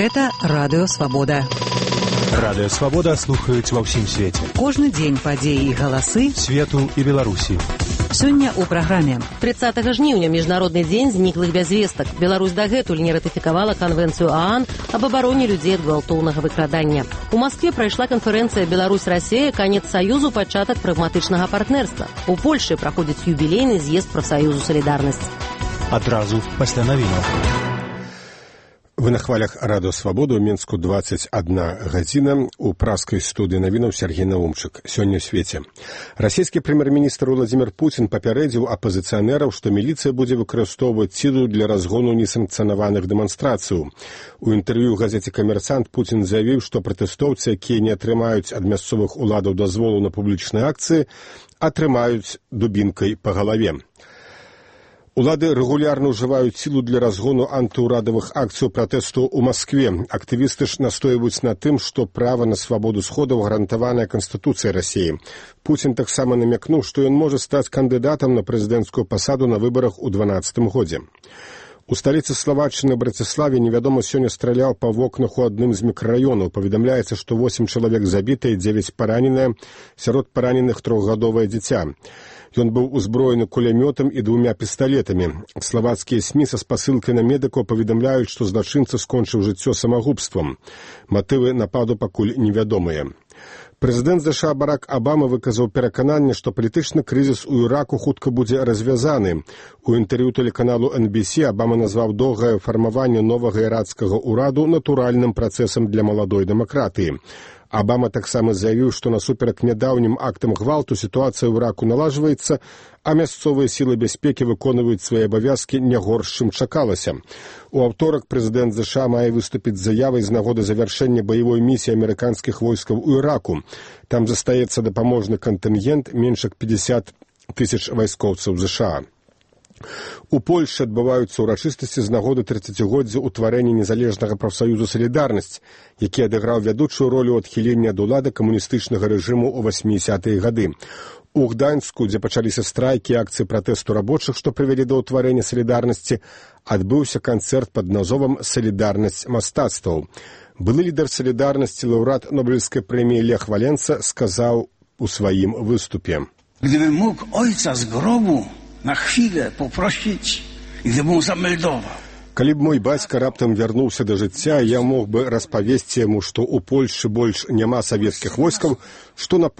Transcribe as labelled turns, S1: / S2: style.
S1: Гэта Радыё Свабода.
S2: Радыё Свабода слухаюць ва ўсім свеце.
S1: Кожны дзень падзеі і галасы
S2: свету і Беларусі.
S1: Сёння ў праграме.
S3: 30 жніўня міжнародны дзень зніклых без вестак. Беларусь дагэтуль не ратыфікавала канвенцыю ААН аб абароне людзей ад гвалтоўнага выкрадання. У Маскве прайшла канферэнцыя Беларусь-Расія, канец саюзу, пачатак прагматычнага партнерства. У Польшы праходзіць юбілейны з'езд прафсаюзу «Салідарнасць».
S2: Адразу пасля навінаў.
S4: Вы на хвалях Радыё Свабода, у Мінску 21 гадзіна, у праскай студыі навінаў Сергей Наумчык. Сёння ў свеце. Расійскі прэм'ер-міністр Владзімір Пуцін папярэдзіў апазіцыянераў, што міліцыя будзе выкарыстоўваць сілу для разгону несанкцыянаваных дэманстрацыяў. У інтэрв'ю газеце «Камерсант» Пуцін заявіў, што пратэстоўцы, якія не атрымаюць ад мясцовых уладаў дазволу на публічныя акцыі, атрымаюць дубінкай па галаве. Улады рэгулярна ўжываюць сілу для разгону антыўрадавых акцый пратэсту ў Маскве. Актывісты ж настойваюць на тым, што права на свабоду сходаў гарантаванае Канстытуцыяй Расіі. Пуцін таксама намякнуў, што ён можа стаць кандыдатам на прэзідэнцкую пасаду на выбарах у 2012 годзе. У сталіцы Славаччыны Браціславе невядома сёння страляў па вокнах у адным з мікрараёнаў. Паведамляецца, што 8 чалавек забітыя, 9 параненыя, сярод параненых 3гадовае дзіця. Ён быў узброены кулямётам і 2 пісталетамі. Славацкія СМІ са спасылкай на медыкаў паведамляюць, што злачынца скончыў жыццё самагубствам. Матывы нападу пакуль невядомыя. Прэзідэнт ЗША Барак Абама выказаў перакананне, што палітычны крызіс у Іраку хутка будзе развязаны. У інтэрв'ю тэлеканалу NBC Абама назваў доўгае фармаванне новага ірацкага ўраду натуральным працэсам для маладой дэмакратыі. Абама таксама заявіў, што насуперак нядаўнім актам гвалту сітуацыя ў Іраку налажваецца, а мясцовыя сілы бяспекі выконваюць свае абавязкі не горш, чым чакалася. У аўторак прэзідэнт ЗША мае выступіць з заявай з нагоды завяршэння баявой місіі амерыканскіх войскаў у Іраку. Там застаецца дапаможны кантынгент менш як 50 тысяч вайскоўцаў ЗША. У Польшы адбываюцца ўрачыстасці з нагоды 30-годдзя ўтварэння незалежнага прафсаюзу «Салідарнасць», які адыграў вядучую ролю ў адхіленні ад улады камуністычнага рэжыму ў 80-е гады. У Гданьску, дзе пачаліся страйкі і акцыі пратэсту рабочых, што прывялі да ўтварэння «Салідарнасці», адбыўся канцэрт пад назвам «Салідарнасць мастацтваў». Былы лідар «Салідарнасці», лаўрэат Нобелевскай прэміі Лех Валенца сказаў у сваім выступе:
S5: «Gdybym mógł ojca z grobu na chwilę poprosić, gdyby mu zameldował».
S4: Калі б мой бацька раптам вярнуўся да жыцця, я мог бы распавесці яму, што ў Польшы больш няма савецкіх войскаў, што на